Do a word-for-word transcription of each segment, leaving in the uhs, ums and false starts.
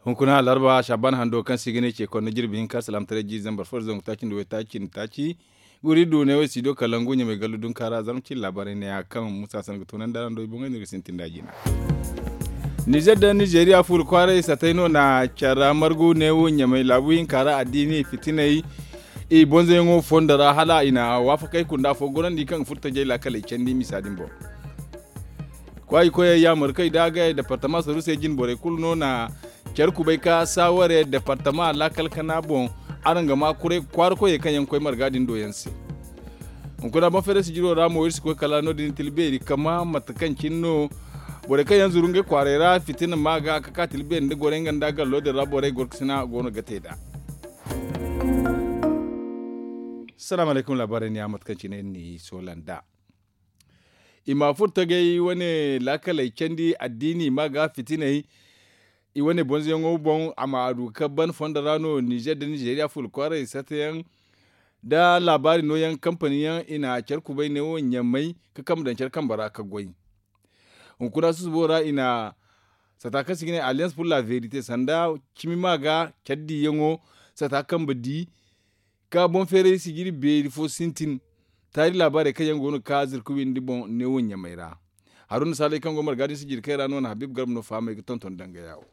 Hunkuna alarba shaban hando kaŋ se i ga ne ce konda jirbi hinka salaamataray jiiri zambar fo da zangu taaci nda waytaaci nda taaci. Guri du ne wo i si do kalangu ɲamay gallu dunka ra zarma cine laabaarey ne ya kaŋ musa san ga toonandi araŋ do i boŋey no iri ga sintin da jina. Nizer nda nizeriya fuula kwaaray satay no na care ra margu ne wo ɲamay laabu hinka ra addiini fitinay. I bonzoyaŋo fondo ra hala i na waafakey kunda fo gorandi kaŋ ga furo tajey laakaley candi misa din boŋ. Kwaayi koyey yaamar kaŋ i daagay departama saru se jine borey kulu no na care kubay ka saaware departama laakal kana boŋ. Araŋ ga ma kwaara koyey kaŋ yaŋ ga koy marga din do yaŋ se. Hunkuna boŋ feeray sijiro ra mo iri si koy kala no- din tila beeri kama mate kaŋ cine no borey kaŋ yaŋ zuru ngey kwaaray ra fitina ma ga ka ka tila beeri nda gorey nga nda gallo din ra borey gorkasina go no ga te nd'a. Salaamu alaykum laabaarey ne ya mate kaŋ cine iri n'i soola nd'a. I ma furo tagay wane laakaley candi addiini ma ga fitiney. I wane bonzoyaŋo boŋ a ma a du ka ban fondo ra no nizer nda nizeriya fuula kwaaray satayaŋ nda laabaari nooyaŋ kampani yaŋ i na care kubay ne wo ɲamay ka kambe daŋ care kambe ra ka goy. Hunkuna susubo ra i na sata kaŋ se i ga ne alliance pour la verite sanda cimi ma ga care diyaŋo sata kambe di ka boŋ feeray sijiri beeri fo sintin. Taari laabaarey kaŋ yaŋ go no ga ka zirka windi boŋ neewo ɲamay ra. Haruna saalay kaŋ go marga din sijiri kay ra no na habib garba no fahamay ga tonton danga yaawo.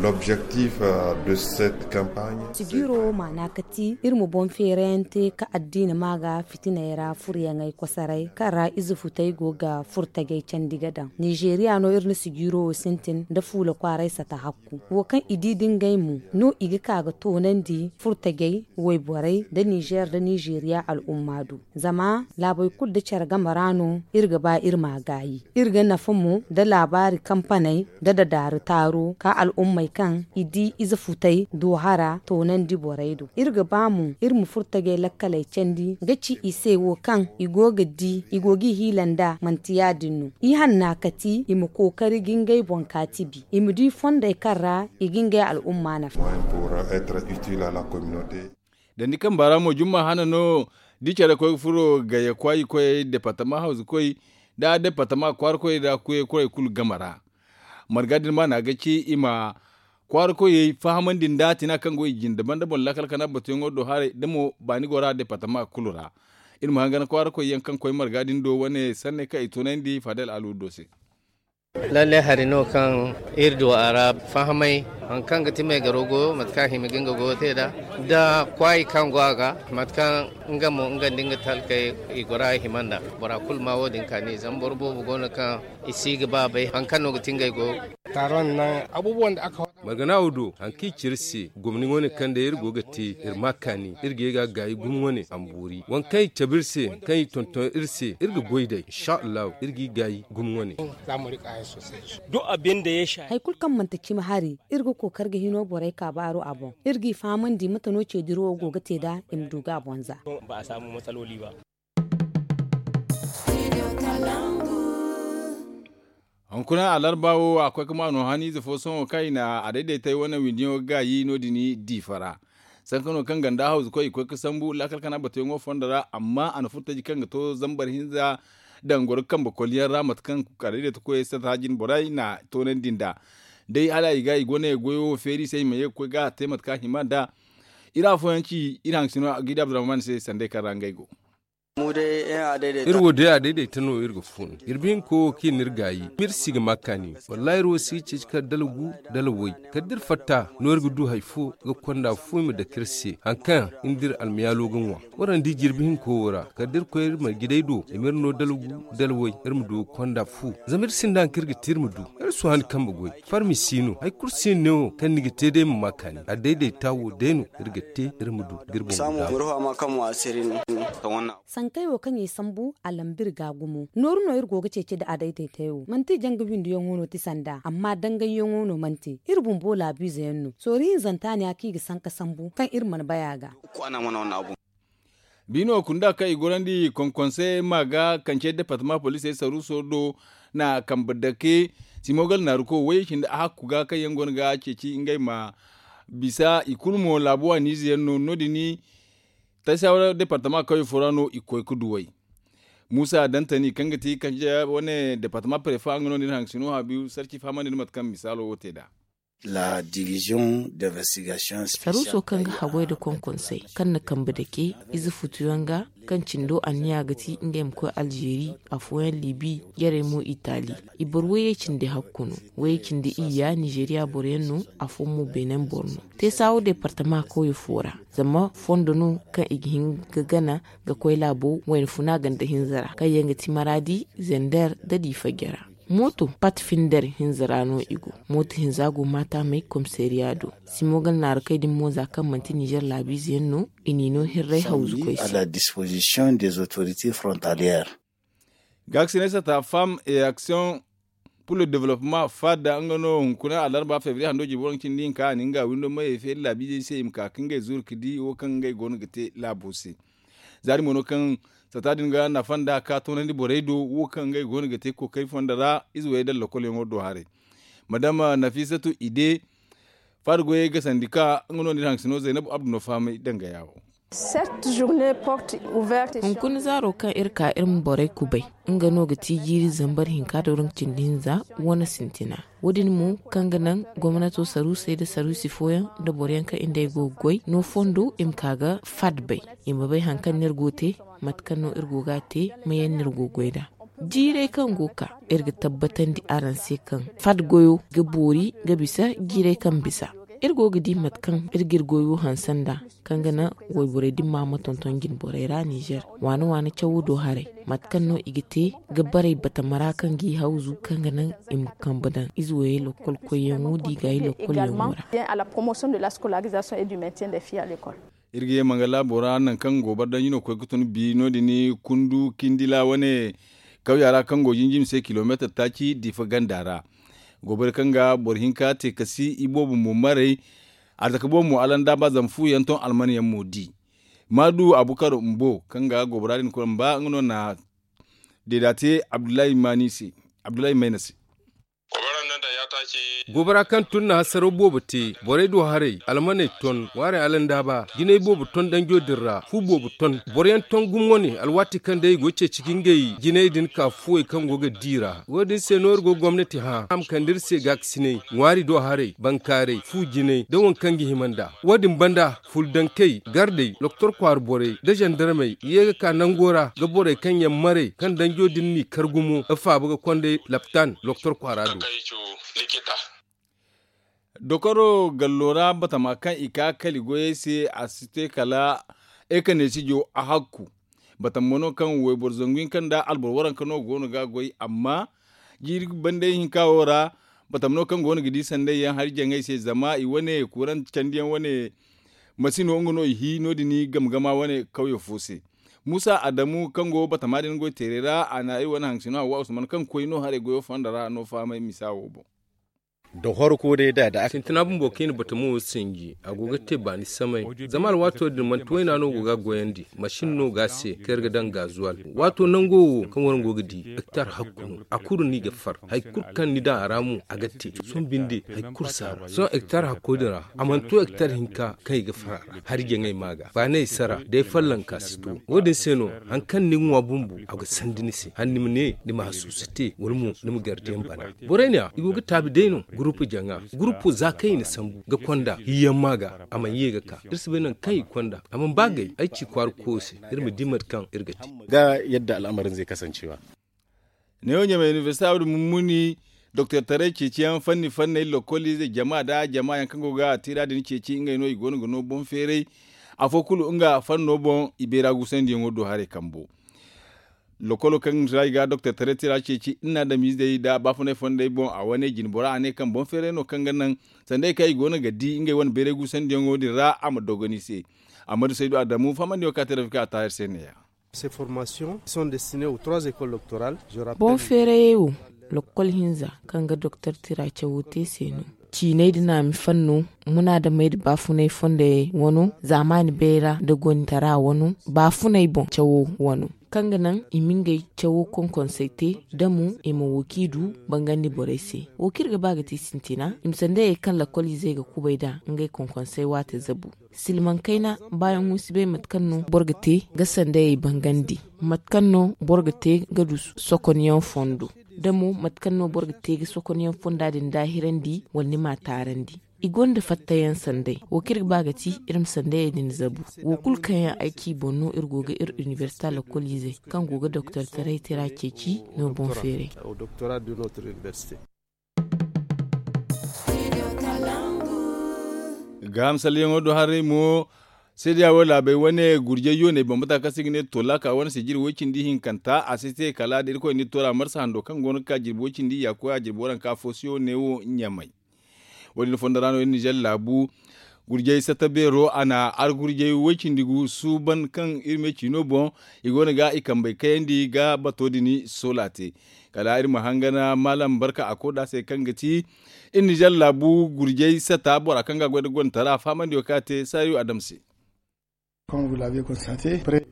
L'objectif de cette campagne. Sijiro maana kati iri ma boŋ feerayaŋ te ka addiina ma ga fitiney ra furyaŋey kosoray kaŋ ra ize futey go ga furo tajey candi ga daŋ nizeeriya no iri na sijiro wo sintin nda fuula kwaaray sata hakku wo kaŋ i di da ngey mo no i ga ka ga toonandi furtajey wayborey nda nizer nda nizeeriya al'umma do. Zama laabey kulu nda care game ra no iri ga ba iri m'a gaayi. Iri ga nafa mo nda laabaari kampaney nda dadaari taaro ka al'ummey kaŋ i di ize futey do hara toonandi borey do iri ga ba mo iri ma furtajey lakkaley candi ga ci i se wo kaŋ i go ga di i go ga i hiila nd'a manti ya-din no. I hanna kati i ma kookari ga ngey boŋ kaati bi i ma di fondey kaŋ ra i ga ngey al'umma nafa. Dandi kamba ra mo jumma hana no da i care koy ga furo gayya kwaayi koyey departama hawzu koy nda departama kwaara koyey nda kuye kurey kulu game ra. Marga din ma na ga ci i ma kwaara koyey fahamandi nda tina kaŋ go i jinde banda boŋ laakal kana batuyaŋo do haray da mo baani go ra departama kulu ra. Iri ma hangan kwaara koyyaŋ kaŋ koy marga din do wane sanney kaŋ i tunandi fadel alu do se. Lalle hari no kaŋ iri du a ra fahamay hari kaŋ ga ti me garo goyo mate kaŋ a hima ga nga goyo te nd'a da kwaayi kaŋ go a ga mate kaŋ nga mo nga nda nga talkey i gora i hima nd'a. Bora kulu ma wo- din kaani zama boro boobo go no kaŋ i si ga ba bay hari kaŋ no ga ti ngey goyo. Taron nan abubuwan da aka margana wo do hari kaŋ i ci iri se gomni wane kaŋ day iri go ga te iri ma kaani iri ga ye ga gaayi gumo wane a ma boori waŋ kaŋ i cabe iri se kaŋ i tonton iri se iri ga goy day insa allahu iri g'i gaayi gumo wane. Hari kulu kaŋ manti cimi hari iri ga kookari ga hino borey kaabaaro a boŋ iri g'i fahamandi mate no ceediro wo go ga te nd'a i ma du ga a boŋ za. Hunkuna alarba wo a koy ga ma no haniize fo sohõ kaŋ i na a dayday tay wane windiyaŋo ga gaayi no- din diifa ra. Sanka no kaŋ ganda hawzu koy i koy ga sambu laakal kana batuyaŋo fondo ra amma a na furo taji kaŋ ga to zambar hinza daŋ goro kambe koliyaŋ ra mate kaŋ a dayday ta koyey sata jine borey na toonandi nd'a. Day hala i ga i go ne goyo wo feeri i se i ma ye ga koy ga a te mate kaŋ a hima nd'a. Iri afooyaŋ ci iri haŋ sino ga i da abdurrahman se sanday kaŋ ra ngey go. Iri wo day a dayday ta no iri ga fun iri bihinko wo kaŋ i na iri gaayi ma iri si ga ma kaani. Wallaahi iri wo si ga ceeci kala dala gu dala way kala da iri fatta no iri ga du hari fo ga konda fu i ma dake iri se hari kaŋ iri nda iri almayaalo ga ŋwa. Waraŋ di jirbi hinko wo ra kala da iri koy iri marjidey do i ma iri no dala gu dala way iri ma du ga konda fu zama iri sinda hari kaŋ iri ga te iri ma du. Iri si hane kambe goy farmi si no hari kulu si no ne wo kaŋ ni ga te day ma ma kaani a dayday ta wo day no iri ga te iri ma du ga iri boŋ ga daabu. Sankey wo kaŋ i sambu a lamba iri ga gumo nooru no iri go ga ceeci nda a dayday tay wo manti janga windiyaŋo no ti sanda amma dangayyaŋo no manti iri bumbo laabiize yaŋ no soori hinzanta ne ya kaŋ i ga sanka sambu kaŋ iri mana bay a ga. Biino kunda kaŋ i gorandi konkonse ma ga kance departama poliisey saruuso do na kambe dake simogal naaruko way cindi a hakku ga kaŋ yaŋ go no ga ceeci ngey ma bisa i kulu mo laabu waaniize yaŋ no no- din. Taysawara departama kawye fo ra no i ga koy ga duwey muusa dantani kaŋ ga ti kanje wane departama prefa nga no din haŋ sino habiyu sarci fahamandi nda mate kaŋ misaalo wo te nd'a. La division d'investigation spéciale. Saruuso kaŋ ga haggoy nda konkonsey kaŋ na kambe dake ize futuyaŋ ga, kaŋ cindo anniya ga ti ngey ma koy alzeeri, afooyaŋ libi, jarey mo itali. I boro wayey cindi hakku no. Wayey cindi iyya nizeeriya boroyaŋ no. Afooyaŋ mo beenen boro no. Teesaawo deepartama kawye fo ra, zama fondo no kaŋ i ga hin ga gana ga koy laabo wayna funa ganda hinza ra, kaŋ yaŋ ga ti maraadi, zender, nda diifa jara. Mooto pat finder hinza ra no i go. Mooto hinza go maatamey komisariya do. Simo gana naaru kay din mo za kaŋ manti nizer laabiize yaŋ no. I n'i no hirray hawzu koy se. Gaaksinay sata femme et action pour le développement fada nga no hunkuna alarba fevrier hando jibo waranka cindi hinka a na nga windo mayey feeri laabiizey se i ma ka ka ngey zuru ka di wo kaŋ ngey go no ga te laabo se. Zaari mo no kaŋ sata din ga nafa nda ka toonandi borey do wo kaŋ ngey go no ga te kookari fonda ra ize wayey da lakkol yaŋo do haray. Madama nafisatu ide, faada goyey ga sandi ka nga no nda iri haŋ sino zaynabu abdu no fahamay danga yaawo. Hunkuna zaaro kaŋ iri ka iri ma borey kubay, nga no ga ti jiiri zambar hinka da waranka cindi hinza wane sintina. Wo- din mo kaŋ ga naŋ gomnato saruusey nda saruusi fooyaŋ nda boroyaŋ kaŋ i nd'ey go ga goy no fondo i ma ka ga fad bay. I ma bay hari kaŋ no iri go ga te, mate kaŋ no iri go ga a te, mayaŋ no iri go ga goy nd'a. Jiirey kaŋ go ga ka, iri ga tabbatandi araŋ se kaŋ fad goyo ga boori ga bisa jiirey kaŋ bisa. Iri go ga di mate kaŋ iri ga iri goyo hanse nd'a, kaŋ ga naŋ wayborey dimma ma tonton jinborey ra nizer waana waana cawo do haray, mate kaŋ no i ga te ga baray batama ra kaŋ g'i hawzu kaŋ ga naŋ i ma kambe daŋ ize wayey lakkol koyyaŋo da i gaayi lakkol yaŋo ra. Iri ga ye mangala bora nangu kaŋ gobar danji no ga koy ga tun bi no- din kundu kindila wane kawya ra kaŋ go jinjim se kilomeetar taaci diifa ganda ra. Gobar kaŋ ga boro hinka te kasi iboobo mo maray. Arzaka boobo mo alanda ba zama fu yaŋ ton alman yaŋ mo di. Maadu abukar mbo kaŋ ga gobara din kulu mba nga no na deeda te abdullahi mayna se. Gobara kaŋ tun na hasaraw boobo te borey do haray almaney ton ŋwaarey alandaaba jinay boobo ton danjo din ra fu boobo ton. Boroyaŋ ton gumo wane alwaati kaŋ day i go ga ceeci ga ngey jinay din ka fuwey kaŋ go ga di ra wo- din se no iri go gomnati hã a ma kande iri se gaakasinay ŋwaari do haray bankaaray fu jinay nda waŋ kaŋ ga hima nd'a. Wo- din banda furdankey gardey loktor kwaara borey nda zandarmey ye ga ka nango ra ga borey kaŋ yaŋ maray kaŋ danjo din n'i kar gumo ga faaba ga konday laptan loktor kwaara do. Dokoro gallo ra batama kaŋ i ka kali goyey se a si te kala ekaneesijo a hakku. Batama mo no kaŋ wayboro zangu hinka nda alboro waranka no go no ga a goy amma jiiri bandey hinka wo ra batama no kaŋ go no ga di sanday yaŋ hari jaŋay se zama i wane kuranti candiyaŋ wane masino nga no i hi no- din game gama wane kawyo fo se. Muusa adamu kaŋ go batama din goy teeray ra a na iri wane haŋ sino hawa usman kaŋ koy no haray goyo fonda ra no fahamay misa wo boŋ. Da horko day da da sintina bumbo kaŋ i na batamo wo sinji a go ga te baani samay. Zama alwaato din manti wayna no go ga a goyandi masin no ga a se kaŋ iri ga daŋ gaazuwal. Waato nango wo kaŋ waraŋ go ga di hektar hakku no a kulu no i ga far. Hari kulu kaŋ ni daŋ a ra mo a ga te. Sohõ binde hari kulu si a ra sohõ hektar hakko din ra a mana to hektar hinka kaŋ i ga far a ra. Hari jaŋay ma ga baanay sara day fallanka si to. Wo- din se no hari kaŋ ni ga ŋwa bumbo a ga sandi ni se hala ni ma ne ni ma hasuusa te wala mo ni ma gardiyaŋ bana. Borey ne a i go ga taabi day no gurupu jaŋa gurupo za kaŋ i na sambu ga konda hiyaŋ ma ga a mana ye ga ka iri si bay nangu kaŋ i ga konda a mana ba gay ay ci kwaara koyo se iri ma di mate kaŋ iri ga te. Ga yadda al'amarin zai kasancewa. Neewo ɲamay inibersita wadi mummuni doktor taray ceeciyaŋ fanni fanney lokkoliize jama nda jama yaŋ kaŋ go ga tira din ceeci ngey no i go no ga no boŋ feeray. Afo kulu nga fanno boŋ i beera guusandiyaŋo do haray kambo. Lokolo kaŋ ra i ga doktor taray tira ceeci nda adamiizey nda baafunay fondey boŋ a wane jine bora a ne kaŋ boŋ feeray no kaŋ ga naŋ sanda ay kaŋ i go no ga di ngey wane beeray guusandiyaŋo din ra a ma dogon i se. Amma du saydu adamu fahamandiyaŋo kaŋ a te rafika a taahir se ne-ya. Boŋ feerayey wo lokkol hinza kaŋ ga doktor tira cawo te se no. Ciinay da naami fanno munaadamey nda baafunay fondey wano, zaamaani bayra nda gontara wano, baafunay boŋ cawo wano, kaŋ ga naŋ i ma ngey cawo konkonsey te, da mo i ma wo kaŋ i du bangandi borey se. Wo kaŋ iri ga ba ga te sintina, i ma sandayey kaŋ lakkol izey ga kubay nd'a ngey konkonsey waate zabu. Silmaŋ kayna, baayaŋo si bay mate kaŋ no boro ga te ga sandayey bangandi, mate kaŋ no boro ga te ga du sokonyaŋ fondo, da mo mate kaŋ no boro ga te ga sokonyaŋ fonda din daahirandi wala ni m'a taarandi. I gonda fattayaŋ sanday. Wo kaŋ iri ga ba ga ti, iri ma sandayey din zabu. Wo kulu kaŋ yaŋ ay ci boŋ no, iri go ga iri inibersita lakkol izey kaŋ go ga doktortaray tira ceeci no boŋ feeray. Gaaham salleyaŋo do haray mo, seedeya wo laabey wane gurjay yooney bambata kaŋ se i ga ne tolaka wane sijiri way-cindi hinkanta a si te kala da irkoy n'i toora marsa hando kaŋ go no ga ka jirbi way-cindi ya koy a jirbi waranka fo se wo ne wo ɲamay. Wo- din fondo ra no iri nizer laabu gurjay satta beero a na argurjay way-cindi gu suuban kaŋ iri me ciino boŋ i go no ga i kambey kayandi ga bato din soola te. Kala iri ma hangan maalam barka a koda se kaŋ ga ti iri nizer laabu gurjay satta bora kaŋ ga a goy nda gontara faamandiyo kaŋ a te saayo adam se.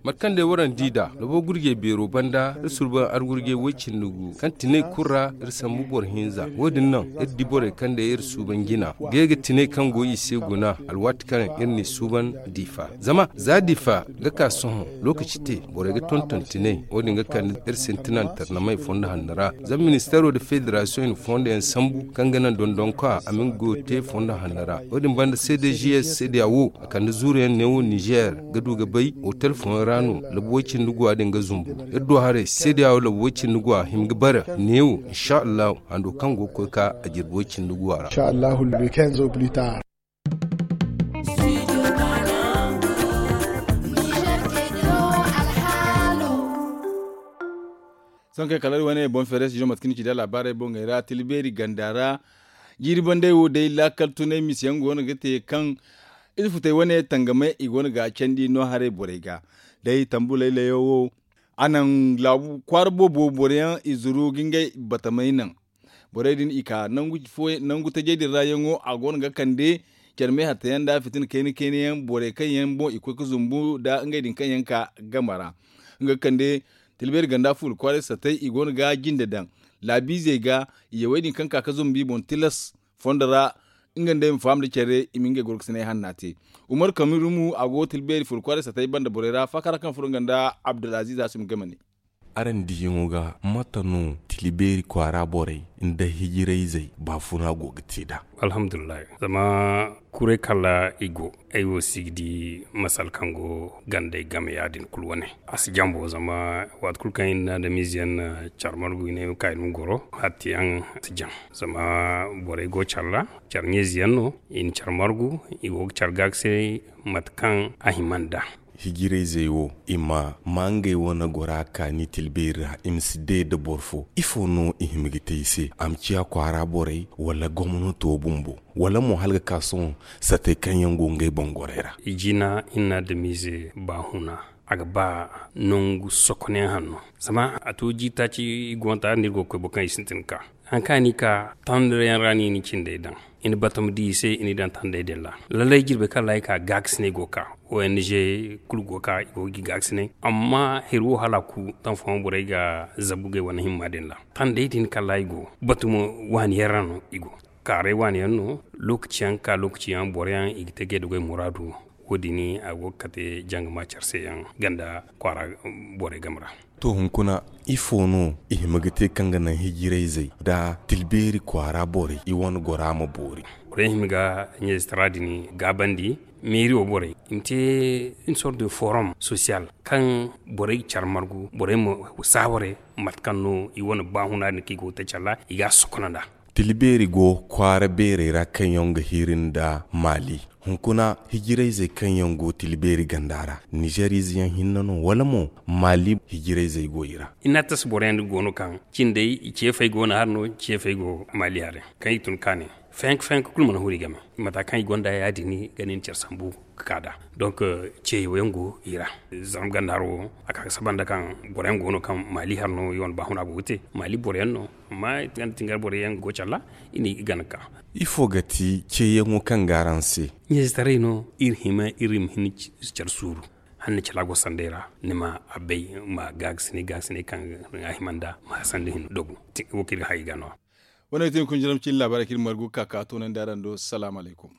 Mate kaŋ day waraŋ di nd'a labo gurjey beero banda iri suuban argurjey way-cindi gu kaŋ tinay kulu ra iri sambu boro hinza. Wo- din naŋ iri di borey kaŋ day iri suuban jina ga ye ga tinay kaŋ go i se guna alwaati kaŋ iri n'i suuban diifa. Zama za diifa ga ka sohõ lookaci te borey ga tonton tinay. Wo- din ga kande iri sintina nda tarnamey fondo hanno ra. Zama ministeero nda federasiyoŋ i na fondo yaŋ sambu kaŋ ga naŋ dondonka a ma nga goyo te fondo hanno ra. Wo- din banda cdgs seedeya wo a kande zuuru yaŋ neewo nizer ga du ga bay otel fooyaŋ ra no labu way-cindi guwa din ga zumbu. Iri du haray seedeya wo labu way-cindi guwa hima ga bare neewo insa allahu hando kaŋ go ga koy ka a jirbi way-cindi guwa ra. Sohõ kay kala iri wane boŋ feere studio mate kaŋ ni ci da laabaarey boŋey ra tilbeeri ganda ra. Jiiri banday wo day laakal tunay misiyaŋ go no ga te kaŋ ize futay wane tangamay i go no ga a candi no haray borey ga day tambu laylayo wo. A naŋ laabu kwaara boobo boro yaŋ i zuru ga ngey batamay naŋ. Borey din i ka nangu tajey din ra yaŋo a go no ga kande care me hatta yaŋ nda fitina kayna kayna yaŋ borey kaŋ yaŋ boŋ i koy ga zumbu nda ngey din kaŋ yaŋ ka game ra. Nga ga kande tilbeeri ganda fuula kwaaray satay i go no ga jinde daŋ laabiizey ga. Yawey din kaŋ ka ga zumbu i boŋ tilas fondo ra nga nda ay ma faham nda care i ma ngey gorkasinay hanna te. Umar kamirumu a go tilbeeri fuula kwaaray satay banda borey ra faakara kaŋ furo nga nda abdulaziiz hasim game ne. Araŋ diyaŋo ga mate no tilbeeri kwaara borey nda hijirayzey baafuna go ga te nd'a? Alhamdulillahi, zama kuray kala i go ay wo si ga di masal kaŋ go gandey game ya- din kulu wane. A si jambo zama waati kulu kaŋ i na adamiize yaŋ na care margu i ne ay ma ka i ma goro hatti yaŋ si jam. Zama borey go care ra care ɲeezi yaŋ no i na care margu i go ga care gaakasinay mate kaŋ a hima nd'a. Hijirayzey wo i ma maa ngey wane gora kaani tilbeeri ra i ma si day nda boro fo ifo no i hima ga te i se a ma ciya kwaara borey wala gomnato bumbo wala mo hala ga ka sohõ satey kaŋ yaŋ go ngey boŋ gorey ra? I jina i na adamiize baahuna a ga ba nangu sokonayaŋ hanno. Zama a to jiiri taaci i go nda nda iri go ga koy boro kaŋ i sintin ga ka hari kaŋ a n'i ka tandarayaŋ ra no i na cindey daŋ i na batama di i se i n'i daŋ tandey din ra. Lallay jirbey kaŋ ra i ka gaakasinay go ga ka ong kulu go ga ka i go ga i gaakasinay. Amma hari wo hala a ku taŋ fooyaŋ borey ga zabu ngey wane himma din ra tandey din kaŋ ra i go batumo waani yaŋ ra no i go kaaray waani yaŋ no. Lookaci yaŋ ga ka lookaci yaŋ boro yaŋ i ga te ga ay da goy muraadu. Wo- din a go ga kate janga ma care se yaŋ ganda kwaara borey game ra. To hunkuna ifo no i hima ga te kaŋ ga naŋ hijirayzey nda tilbeeri kwaara borey i wane gora ma boori? Borey hima ga ɲeezitara din gaabandi meeri wo borey i ma te une sorte de forum social kaŋ borey ga care margu borey ma saaware mate kaŋ no i wane baahuna din kaŋ i go ga te care ra i ga a sokona nd'a. Tilbeeri go kwaara beerey ra kaŋ yaŋ ga hiri nda maali hunkuna hijirayzey kaŋ yaŋ go tilbeeri ganda ra nizer ize yaŋ hinne no wala mo maali hijirayzey go i ra? I na a tasa boro yaŋ din go no kaŋ cindey i ceefey go no hari no ceefey go maali hari kaŋ i tun kaane. Fenk fenk kulu mana huri game. Mata kaŋ i gonda ya- din ga nin care sambu ka ka da. Donc, ceeyo yaŋ go i ra. Zarma ganda haro, a ka ga saba nda kaŋ boro yaŋ go no kaŋ maali har no i wane baahuna go ga te maali boro yaŋ no. Amma tingar boro yaŋ go care ra, i ne i gana ka. Ifo ga ti ceeyaŋo kaŋ ga araŋ se? Ɲeezitaray no. Iri hima iri ma hin care suuru. Hala ni cala go sanday ra, ni ma a bay, ma gaagasinay gaagasinay kaŋ a hima nda ma sanda hin dogu. Wo kaŋ iri ga hay ga no. Wane ga ti ni kunjiram cine laabaarey kaŋ iri margu ga ka ka toonandi araŋ do. Salaamu alaykum.